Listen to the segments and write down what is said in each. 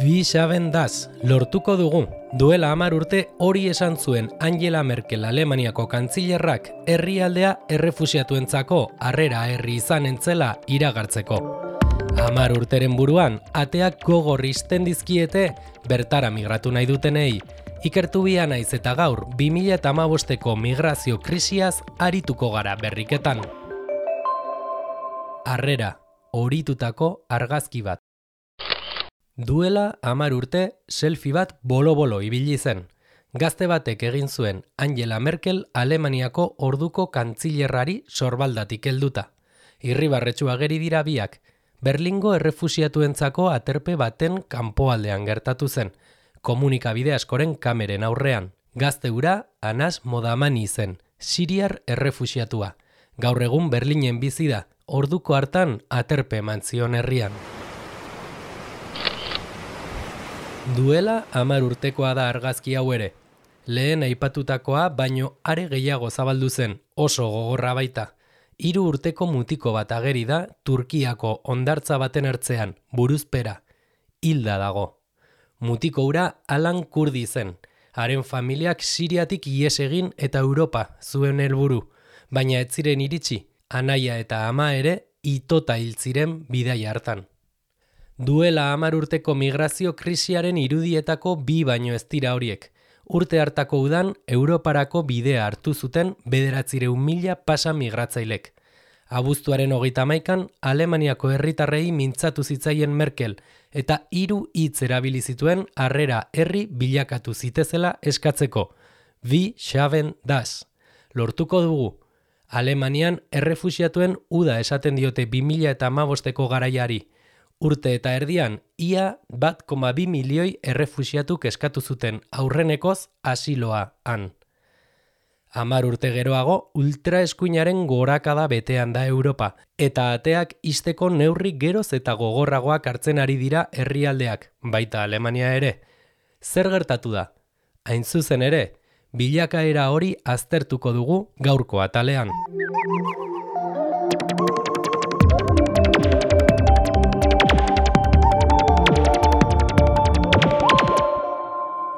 Wie schaffen das, lortuko dugu. Duela 10 urte hori esan zuen Angela Merkel Alemaniako kantzilerrak herrialdea errefuxiatuentzako harrera herri izan entzela iragartzeko. 10 urteren buruan, ateak gogor isten dizkiete bertara migratu nahi dutenei. Ikertu bia naiz eta gaur 2015ko migrazio krisiaz arituko gara berriketan. Harrera, horitutako argazki bat. Duela 10 urte, selfie bat bolo-bolo ibili zen. Gazte batek egin zuen Angela Merkel Alemaniako orduko kantzilerrari sorbaldatik helduta. Irribarretsu ageri dira biak. Berlingo errefuxiatuentzako aterpe baten kanpoaldean gertatu zen. Komunikabide askoren kameren aurrean. Gazte hura Anas Modamani zen, siriar errefuxiatua. Gaur egun Berlinen bizi da, orduko hartan aterpe eman zion herrian. Duela 10 urtekoa da argazki hau ere. Lehen aipatutakoa baino are gehiago zabaldu zen, oso gogorra baita. 3 urteko mutiko bat ageri da Turkiako hondartza baten ertzean, buruzpera. Hilda dago. Mutiko hura Alan Kurdi zen. Haren familiak Siriatik ihes egin eta Europa zuen helburu, baina ez ziren iritsi, anaia eta ama ere itota hil ziren bidaia hartan. Duela 10 urteko migrazio krisiaren irudietako bi baino ez dira horiek. Urte hartako udan, Europarako bidea hartu zuten 900.000 pasa migratzailek. Abuztuaren 31an, Alemaniako herritarrei mintzatu zitzaien Merkel, eta 3 hitz erabili zituen harrera herri bilakatu zitezela eskatzeko. Wie schaffen das. Lortuko dugu. Alemanian errefuxiatuen uda esaten diote 2015ko garaiari. Urte eta erdian, ia 1,2 milioi errefuxiatuk eskatu zuten aurrenekoz asiloa han. 10 urte geroago, ultraeskuinaren gorakada betean da Europa, eta ateak ixteko neurri geroz eta gogorragoak hartzen ari dira herrialdeak, baita Alemania ere. Zer gertatu da? Hain zuzen ere, bilakaera hori aztertuko dugu gaurko atalean.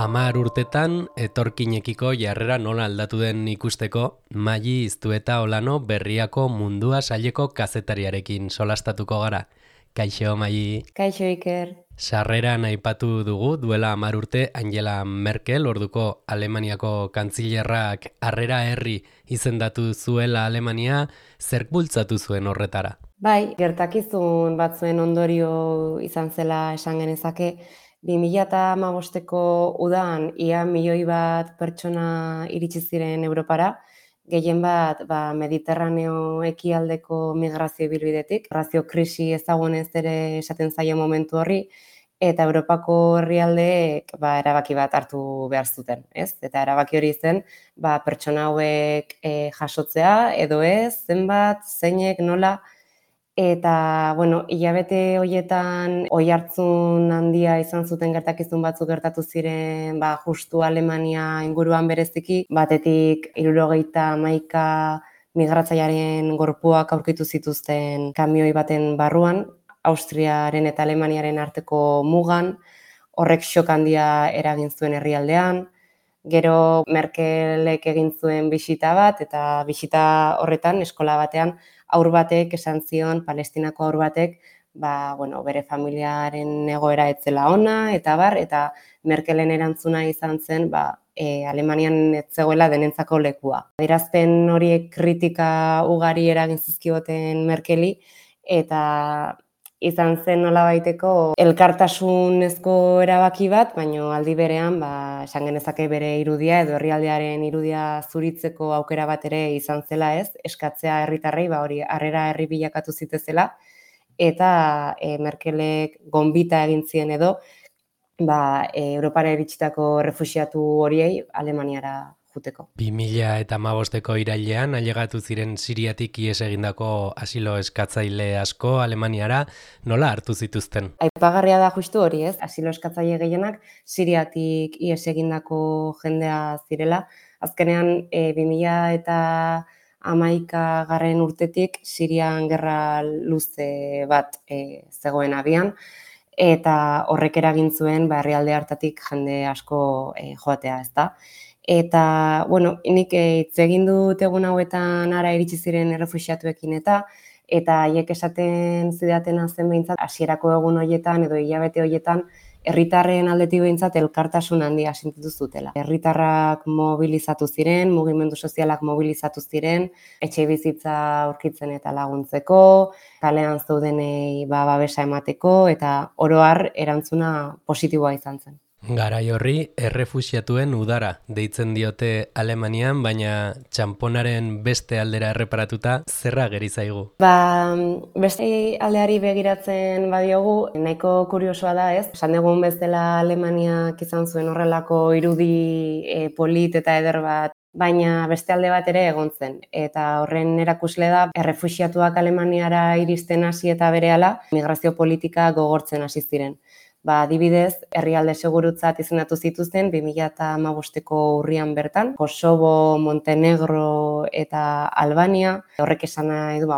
Hamar urtetan, etorkinekiko jarrera nola aldatu den ikusteko, Mali Iztueta Olano Berriako Mundua saileko kazetariarekin solastatuko gara. Kaixo, Mali. Kaixo, Iker. Sarreran aipatu dugu, duela 10 urte Angela Merkel, orduko Alemaniako kantzilerrak harrera herri izendatu zuela Alemania, zerk bultzatu zuen horretara? Bai, gertakizun batzuen ondorio izan zela esan genezake, 2015ko udan ia 1 milioi bat pertsona iritsi ziren Europara, gehien bat Mediterraneo ekialdeko migrazio ibilbidetik, migrazio krisi ezagunez ere esaten zaio momentu horri, eta Europako herrialdeek erabaki bat hartu behar zuten, ez? Eta erabaki hori zen, pertsona hauek jasotzea edo ez, zenbat, zeinek, nola. Eta, hilabete horietan oihartzun handia izan zuten gertakizun batzuk gertatu ziren, justu Alemania inguruan bereziki, batetik 71 migratzailearen gorpuak aurkitu zituzten kamioi baten barruan, Austriaren eta Alemaniaren arteko mugan, horrek xok handia eragin zuen herrialdean. Gero Merkelek egin zuen bisita bat, eta bisita horretan eskola batean haur batek esan zion, Palestinako haur batek, bere familiaren egoera ez zela ona, eta Merkelen erantzuna izan zen, Alemanian ez zegoela denentzako lekua. Adierazpen horiek kritika ugari eragin zizkioten Merkeli, eta izan zen nolabaiteko elkartasunezko erabaki bat, baina aldi berean, esan genezake bere irudia edo herrialdearen irudia zuritzeko aukera bat ere izan zela, ez? Eskatzea herritarrei, hori harrera herri bilakatu zitezela, eta Merkelek gonbita egin zien edo, Europara iritsitako errefuxiatu horiei Alemaniara juteko. 2015ko irailean ailegatu ziren Siriatik ihes egindako asilo eskatzaile asko Alemaniara, nola hartu zituzten? Aipagarria da justu hori, ez? Asilo eskatzaile gehienak Siriatik ihes egindako jendea zirela. Azkenean 2011 urtetik Sirian gerra luze bat zegoen abian. eta horrek eragin zuen herrialde hartatik jende asko joatea, ezta? Eta, bueno, nik hitz egin dut egun hauetan ara iritsi ziren errefuxiatuekin eta haiek esaten zidatena zen behintzat hasierako egun horietan edo hilabete horietan herritarren aldetik behintzat elkartasun handia sentitu zutela. Herritarrak mobilizatu ziren, mugimendu sozialak mobilizatu ziren, etxebizitza aurkitzen eta laguntzeko, kalean zeudenei babesa emateko eta oro har erantzuna positiboa izan zen. Garai horri errefuxiatuen udara deitzen diote Alemanian, baina txanponaren beste aldera erreparatuta zerra geri zaigu. Beste aldeari begiratzen badiogu, nahiko kuriosoa da, ez? Esan dugun bezala Alemaniak izan zuen horrelako irudi polit eta eder bat, baina beste alde bat ere egon zen. Eta horren erakusle da, errefuxiatuak Alemaniara iristen hasi eta berehala, migrazio politika gogortzen hasi ziren. Adibidez, herrialde segurutzat izendatu zituzten 2015ko urrian bertan, Kosovo, Montenegro eta Albania. Horrek esan nahi du,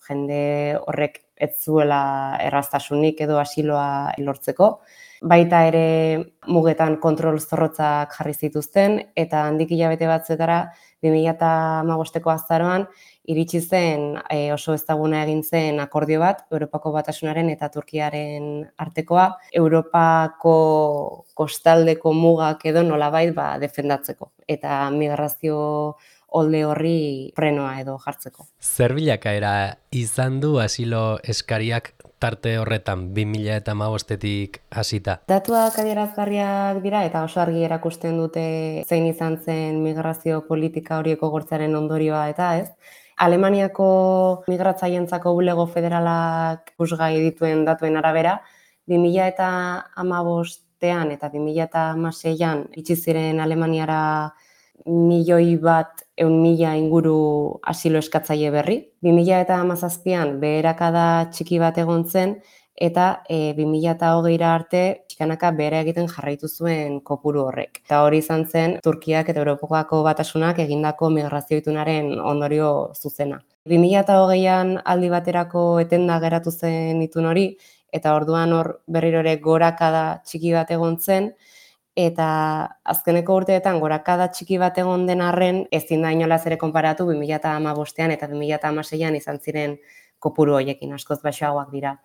jende horrek ez zuela erraztasunik edo asiloa lortzeko. Baita ere mugetan kontrol zorrotzak jarri zituzten eta handik hilabete batzuetara 2015ko azaroan iritsi zen oso ezaguna egin zen akordio bat Europako Batasunaren eta Turkiaren artekoa, Europako kostaldeko mugak edo nolabait defendatzeko eta migrazio olde horri frenoa edo jartzeko. Zer bilakaera izan du asilo eskariak tarte horretan 2015tik hasita? Datuak adierazgarriak dira eta oso argi erakusten dute zein izan zen migrazio politika horiek gogortzearen ondorioa eta ez. Alemaniako migratzaientzako bulego federalak ikusgai dituen datuen arabera, 2015ean eta 2016an iritsi ziren Alemaniara 1.100.000 inguru asilo eskatzaile berri. 2017an beherakada txiki bat egon zen eta 2020ra arte pixkanaka behera egiten jarraitu zuen kopuru horrek. Eta hori izan zen Turkiak eta Europako Batasunak egindako migrazio itunaren ondorio zuzena. 2020an aldi baterako etenda geratu zen itun hori eta orduan hor berriro ere gorakada txiki bat egon zen, eta azkeneko urteetan gorakada txiki bat egon den arren ezin da inolaz ere konparatu 2015ean eta 2016an izan ziren kopuru horiekin, askoz baxuagoak dira.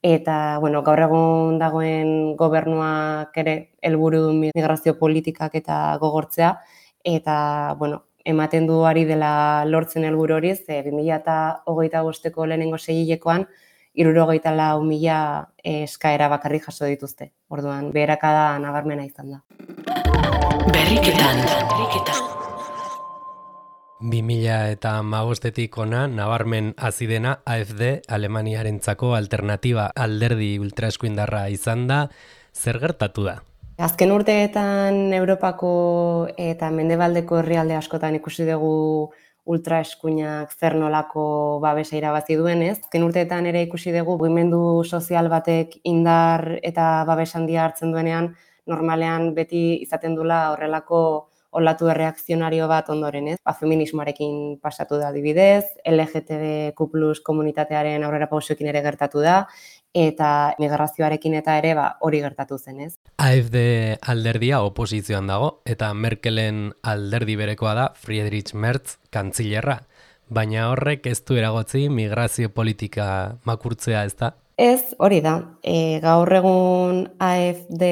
Eta, gaur egun dagoen gobernuak ere helburu du migrazio politikak eta gogortzea, eta, ematen du ari dela lortzen helburu hori, 2025ko lehenengo seihilekoan 64.000 eskaera bakarrik jaso dituzte. Orduan, beherakada nabarmena izan da. Berriketan. 2015tik ona nabarmen hasi dena AfD Alemaniarentzako alternatiba alderdi ultraeskuindarra izan da, zer gertatu da? Azken urteetan Europako eta mendebaldeko herrialde askotan ikusi dugu ultraeskuinak zer nolako babesa irabazi duenez. Azken urteetan ere ikusi dugu mugimendu sozial batek indar eta babes handia hartzen duenean, normalean beti izaten dula horrelako olatu erreakzionario bat ondoren, ez? Feminismoarekin pasatu da adibidez, LGTBQ+ komunitatearen aurrera pausoekin ere gertatu da, eta migrazioarekin eta ere hori gertatu zen, ez? AfD alderdia oposizioan dago, eta Merkelen alderdi berekoa da Friedrich Merz kantzilerra, baina horrek ez du eragotzi migrazio politika makurtzea, ez da? Ez, hori da. Gaur egun AfD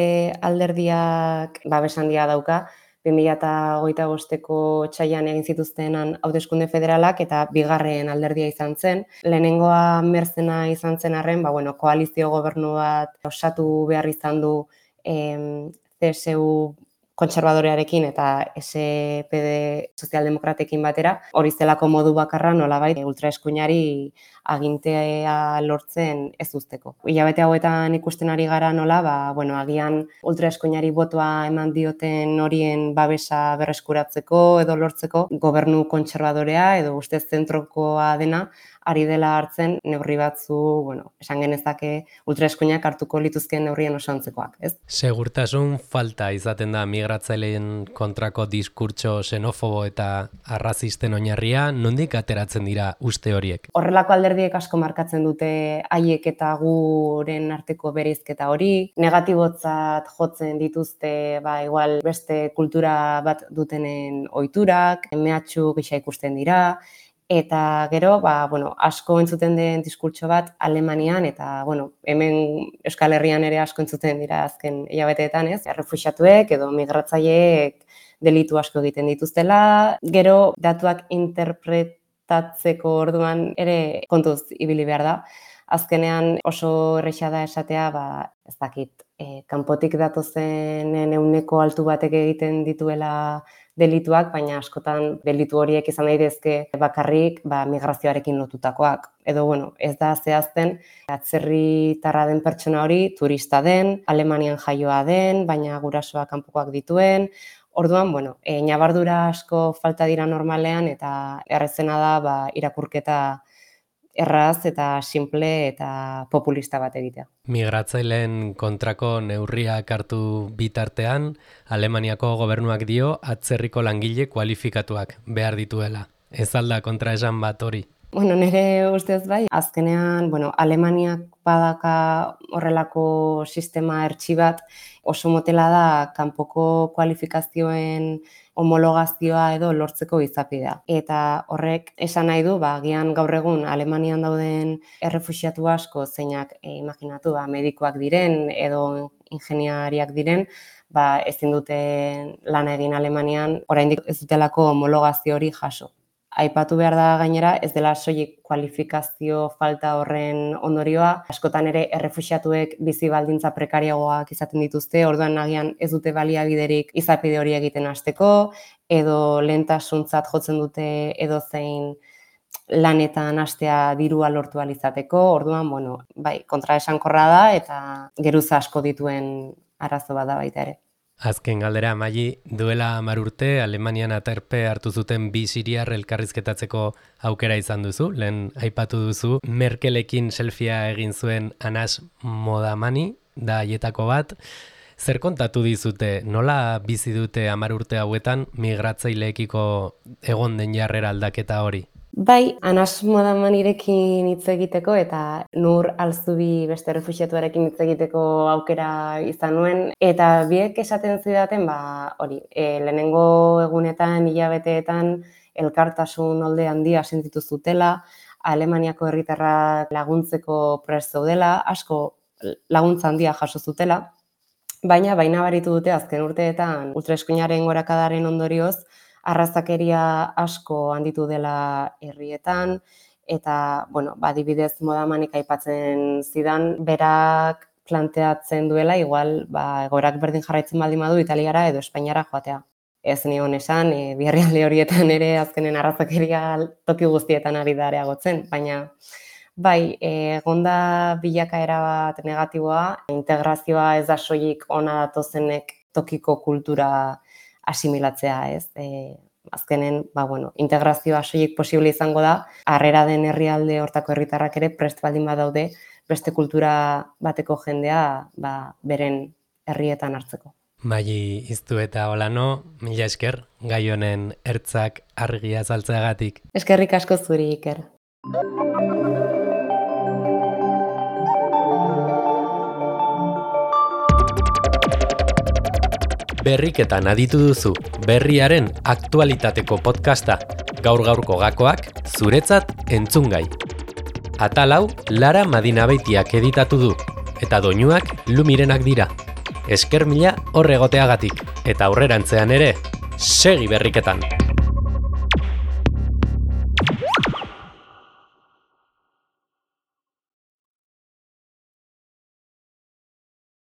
alderdiak babes handia dauka, 2025ko otsailean egin zituztenan hauteskunde federalak eta bigarren alderdia izan zen. Lehenengoa Merzena izan zen arren, koalizio gobernu bat osatu behar izan du CSU kontserbadorearekin eta SPD sozialdemokratekin batera. Hori zelako modu bakarra nolabait ultraeskuinari agintea lortzen ez uzteko. Hilabete hauetan ikusten ari gara nola, agian ultraeskuinari botoa eman dioten horien babesa berreskuratzeko edo lortzeko gobernu kontserbadorea edo ustez zentrokoa dena ari dela hartzen neurri batzu, esan genezake ultraeskuinak hartuko lituzkeen neurrien osantzekoak, ez? Segurtasun falta izaten da migratzaileen kontrako diskurtso xenofobo eta arrazisten oinarria, nondik ateratzen dira uste horiek? Horrelako alderdiek asko markatzen dute haiek eta guren arteko bereizketa hori, negatibotzat jotzen dituzte, igual beste kultura bat dutenen ohiturak, mehatxu gisa ikusten dira, eta gero, asko entzuten den diskurtso bat Alemanian, eta, hemen Euskal Herrian ere asko entzuten dira azken hilabeteetan, ez? Errefuxiatuek edo migratzaileek delitu asko egiten dituztela, gero datuak interpretatzeko orduan ere kontuz ibili behar da. Azkenean oso erresa da esatea, ez dakit, kanpotik datozenen ehuneko altu batek egiten dituela delituak, baina askotan delitu horiek izan daitezke bakarrik migrazioarekin lotutakoak. Edo, ez da zehazten atzerritarra den pertsona hori, turista den, Alemanian jaioa den, baina gurasoak kanpokoak dituen. Orduan, ñabardura asko falta dira normalean eta errezena da irakurketa erraz eta simple eta populista bat egitea. Migratzaileen kontrako neurriak hartu bitartean, Alemaniako gobernuak dio atzerriko langile kualifikatuak behar dituela. Ez alda kontraesan bat hori? Nire ustez bai, azkenean, Alemaniak badaka horrelako sistema hertsi bat, oso motela da kanpoko kualifikazioen homologazioa edo lortzeko izapidea. Eta horrek esan nahi du, agian gaur egun Alemanian dauden errefuxiatu asko zeinak imaginatu, medikoak diren edo ingeniariak diren, ezin duten lan egin Alemanian, oraindik ez dutelako homologazio hori jaso. Aipatu behar da gainera, ez dela soilik kualifikazio falta horren ondorioa, askotan ere errefuxiatuek bizi baldintza prekariagoak izaten dituzte, orduan agian ez dute baliabiderik izapide hori egiten hasteko, edo lehentasuntzat jotzen dute edozein lanetan hastea dirua lortu ahal izateko, orduan, kontraesankorra da eta geruza asko dituen arazo bat da baita ere. Azken galdera, Maili, duela 10 urte Alemanian aterpe hartu zuten 2 siriar elkarrizketatzeko aukera izan duzu. Lehen aipatu duzu, Merkelekin selfia egin zuen Anas Modamani, da haietako bat. Zer kontatu dizute, nola bizi dute 10 urte hauetan migratzaileekiko egon den jarrera aldaketa hori? Bai, Anas Modamanirekin hitz egiteko eta Nur Alzubi beste refuxiatuarekin hitz egiteko aukera izan nuen. Eta biek esaten zidaten, lehenengo egunetan, hilabeteetan, elkartasun olde handia sentitu zutela, Alemaniako herritarrak laguntzeko prest zeudela, asko laguntza handia jaso zutela, baina baritu dute azken urteetan ultraeskuinaren gorakadaren ondorioz, arrazakeria asko handitu dela herrietan, eta, adibidez Modamanik aipatzen zidan, berak planteatzen duela, igual, egoerak berdin jarraitzen baldin badu Italiara edo Espainiara joatea. Ez nion esan, bi herrialde horietan ere azkenen arrazakeria toki guztietan ari da areagotzen, baina bai, egonda bilakaera bat negatiboa, integrazioa ez da soilik ona datozenek tokiko kultura asimilatzea, ez? Azkenen, integrazioa soilik posible izango da, harrera den herrialde hortako herritarrak ere prest baldin badaude beste kultura bateko jendea beren herrietan hartzeko. Maili Iztu eta Olano, mila esker, gai honen ertzak argia azaltzeagatik. Eskerrik asko zuri, Iker. Berriketan aditu duzu, berriaren aktualitateko podcasta, gaur-gaurko gakoak, zuretzat entzungai. Atal hau, Lara Madinabeitiak editatu du, eta doinuak Lumirenak dira. Esker mila hor egoteagatik, eta aurrerantzean ere, segi berriketan!